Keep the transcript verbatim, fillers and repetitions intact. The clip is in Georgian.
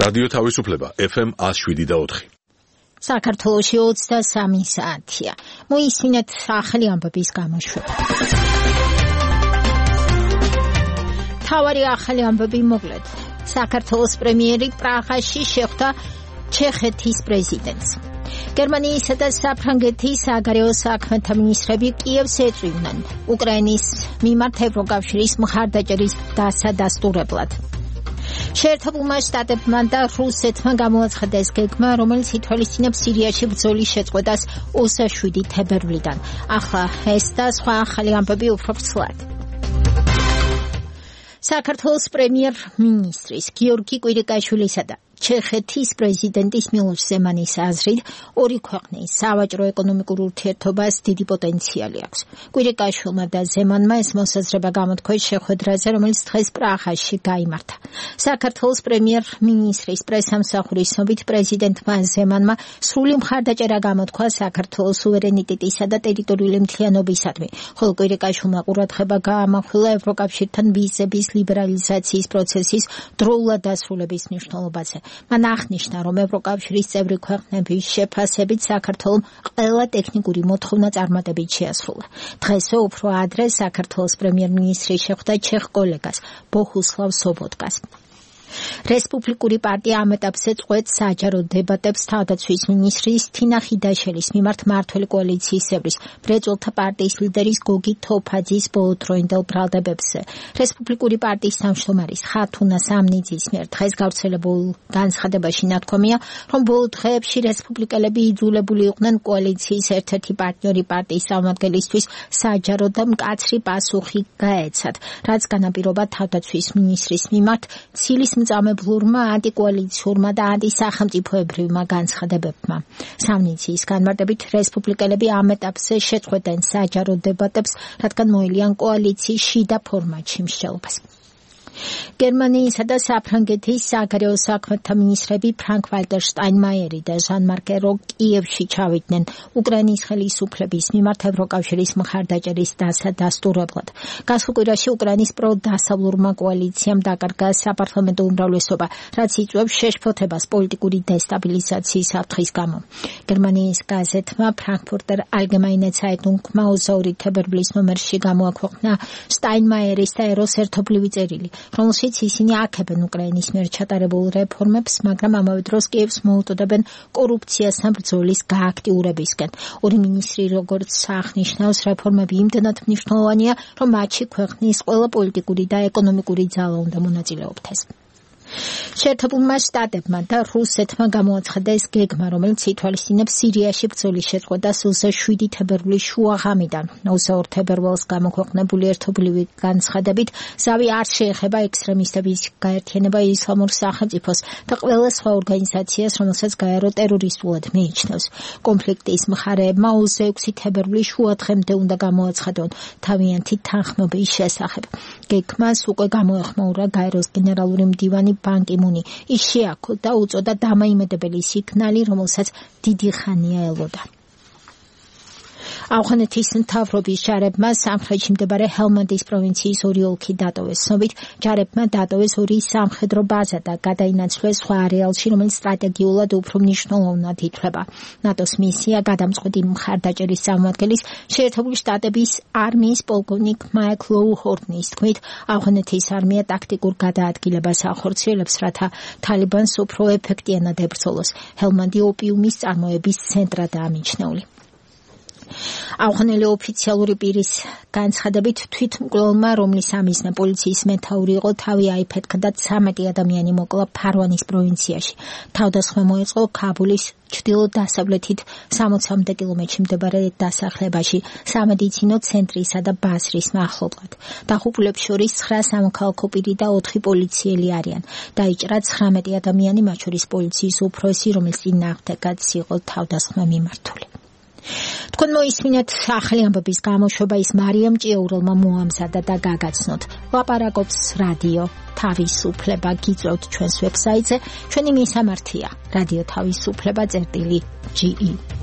რადიო თავისუფლება ეფ ემ one oh seven და four. საქართველოში ოცდასამი საათია. მოისმინეთ ახალი ამბების გამოშვება. თავარი ახალი ამბები მოკლედ. საქართველოს პრემიერი პრაღაში შეხვდა ჩეხეთის პრეზიდენტს. გერმანიისა და საფრანგეთის საგარეო საქმეთა მინისტრები კიევს ეწვივნენ უკრაინის მიმართ ევროკავშირის მხარდაჭერის დასადასტურებლად. შეერთებულმა შტატებმა და რუსეთმა გამოაცხადეს გეგმა, რომელიც ითვალისწინებს სირიაში ბრძოლის შეწყვეტას ოცდაშვიდი თებერვლიდან. ახლა ეს და სხვა ახალი ამბები უფრო ვრცლად. საქართველოს პრემიერ-მინისტრის გიორგი კვირიკაშვილისა და ჩეხეთის პრეზიდენტის მილოშ ზემანის აზრით ორი ქვეყნის სავაჭრო-ეკონომიკურ ურთიერთობას დიდი პოტენციალი აქვს. კვირიკაშვილმა და ზემანმა ეს მოსაზრება გამოთქვეს შეხვედრაზე, რომელიც დღეს პრაღაში გაიმართა. საქართველოს პრემიერ-მინისტრის პრესამსახურის ცნობით პრეზიდენტმა ზემანმა სრული მხარდაჭერა გამოთქვა საქართველოს სუვერენიტეტისა და ტერიტორიული მთლიანობისადმი, ხოლო კვირიკაშვილმა ყურადღება გაამახვილა ევროკავშირთან ვიზების ლიბერალიზაციის პროცესის დროულად დასრულების მნიშვნელობაზე. მან აღნიშნა, რომ ევროკავშირის წევრი ქვეყნების შეფასებით საქართველომ ყველა ტექნიკური მოთხოვნა წარმატებით შეასრულა. დღესვე უფრო ადრე საქართველოს პრემიერ-მინისტრი შეხვდა ჩეხ კოლეგას ბოჰუსლავ სობოტკას. რესპუბლიკური პარტია ამ ეტაპზე წყვეტს საჯარო დებატებს თავდაცვის მინისტრის თინა ხიდაშელის მიმართ მმართველი კოალიციის წევრის მრეწველთა პარტიის ლიდერის გოგი თოფაძის ბოლოდროინდელ ბრალდებებზე. რესპუბლიკური პარტიის თავმჯდომარის ხათუნა სამნიძის მიერ დღეს გავრცელებულ განცხადებაში ნათქვამია, რომ ბოლო დღეებში რესპუბლიკელები იძულებული იყვნენ კოალიციის ერთ-ერთი პარტნიორი პარტიის წარმომადგენლისთვის საჯარო და მკაცრი პასუხი გაეცათ, რაც განაპირობა თავდაცვის მინისტრის მიმართ ცილის მწამებლურმა, ანტიკოალიციურმა და ანტისახელმწიფოებრივმა განცხადებებმა. სამნიციის განმარტებით რესპუბლიკელები ამ ეტაპზე შეწყვეტენ საჯარო დებატებს, რადგან მოელიან კოალიციის შიდა ფორმატში მსჯელობას. გერმანიისა და საფრანგეთის საგარეო საქმეთა მინისტრები ფრანკ ვალტერ შტაინმაიერი და ჟან მარკ ერო კიევში ჩავიდნენ უკრაინის ხელისუფლების მიმართ ევროკავშირის მხარდაჭერის დასადასტურებლად. გასულ კვირაში უკრაინის პრო-დასავლურმა კოალიციამ დაკარგა საპარლამენტო უმრავლესობა, რაც იწვევს შეშფოთებას პოლიტიკური დესტაბილიზაციის საფრთხის გამო. გერმანიის გაზეთმა ფრანკფურტერ ალგემაინე ცაიტუნგმა ოცდაორი თებერვლის ნომერში გამოაქვეყნა შტაინმაიერის და ეროს ერთობლივი წერილი, რომელშიც ისინი აქებენ უკრაინის მიერ ჩატარებულ რეფორმებს, მაგრამ ამავე დროს კიევს მოუწოდებენ კორუფციასთან ბრძოლის გააქტიურებისკენ. ორი მინისტრი როგორც აღნიშნავს, რეფორმები იმდენად მნიშვნელოვანია, რომ მათში ქვეყნის ყველა პოლიტიკური და ეკონომიკური ძალა უნდა მონაწილეობდეს. შეერთებულმა შტატებმა და რუსეთმა გამოაცხადეს გეგმა, რომელიც ითვალისწინებს სირიაში ბრძოლის შეწყვეტას ოცდაშვიდი თებერვლის შუაღამიდან. ოცდაორ თებერვალს გამოქვეყნებული ერთობლივი განცხადებით ზავი არ შეეხება ექსტრემისტების გაერთიანება ისლამურ სახელმწიფოს და ყველა სხვა ორგანიზაციას, რომელსაც გაერო ტერორისტულად მიიჩნევს. კონფლიქტის მხარეებმა ოცდაექვსი თებერვლის შუადღემდე უნდა გამოაცხადონ თავიანთი თანხმობის შესახებ. გეგმას უკვე გამოეხმაურა გაეროს გენერალური მდივანი ბან კი მუნი. ის შეაქო და უწოდა დამაიმედებელი სიგნალი, რომელსაც დიდი ხანია ელოდა. ავღანეთის მთავრობის ჯარებმა სამხრეთში მდებარე ჰელმანდის პროვინციის ორი ოლქი დატოვეს. ცნობით, ჯარებმა დატოვეს ორი სამხედრო ბაზა და გადაინაცვლეს სხვა არეალში, რომელიც სტრატეგიულად უფრო მნიშვნელოვნად ითვლება. ნატოს მისია გადამწყვეტი მხარდაჭერის წარმომადგენლის შეერთებული შტატების არმიის პოლკოვნიკ მაიკლ ლოუ-ჰორტნის თქმით, ავღანეთის არმია ტაქტიკურ გადაადგილებას ახორციელებს, რათა თალიბანს უფრო ეფექტიანად ებრძოლოს. ჰელმანდი ოპიუმის წარმოების ცენტრადაა მიჩნეული. ავღანელი ოფიციალური პირის განცხადებით თვითმკვლელმა, რომლის ამიზნე პოლიციის მეთაური იყო, თავი აიფეთქა და ცამეტი ადამიანი მოკლა ფარვანის პროვინციაში. თავდასხმა მოეწყო ქაბულის ჩრდილო-დასავლეთით სამოცამდე კილომეტრში მდებარე დასახლებაში, სამედიცინო ცენტრისა და ბაზრის მახლობლად. დაღუპულებს შორის ცხრა სამოქალაქო პირი და ოთხი პოლიციელი არიან. დაიჭრა ცხრამეტი ადამიანი, მათ შორის პოლიციის უფროსი, რომლის წინააღმდეგაც იყო თავდასხმა მიმართული. თქვენ მოისმინეთ ახალი ამბების გამოშვება, ის მარიამ ჭიაურელმა მოამზადა და გაგაცნოთ. ლაპარაკობს რადიო თავისუფლება. გიწევთ ჩვენს ვებსაიტზე, ჩვენი მისამართია რადიო თავისუფლება წერტილი ჯი ი.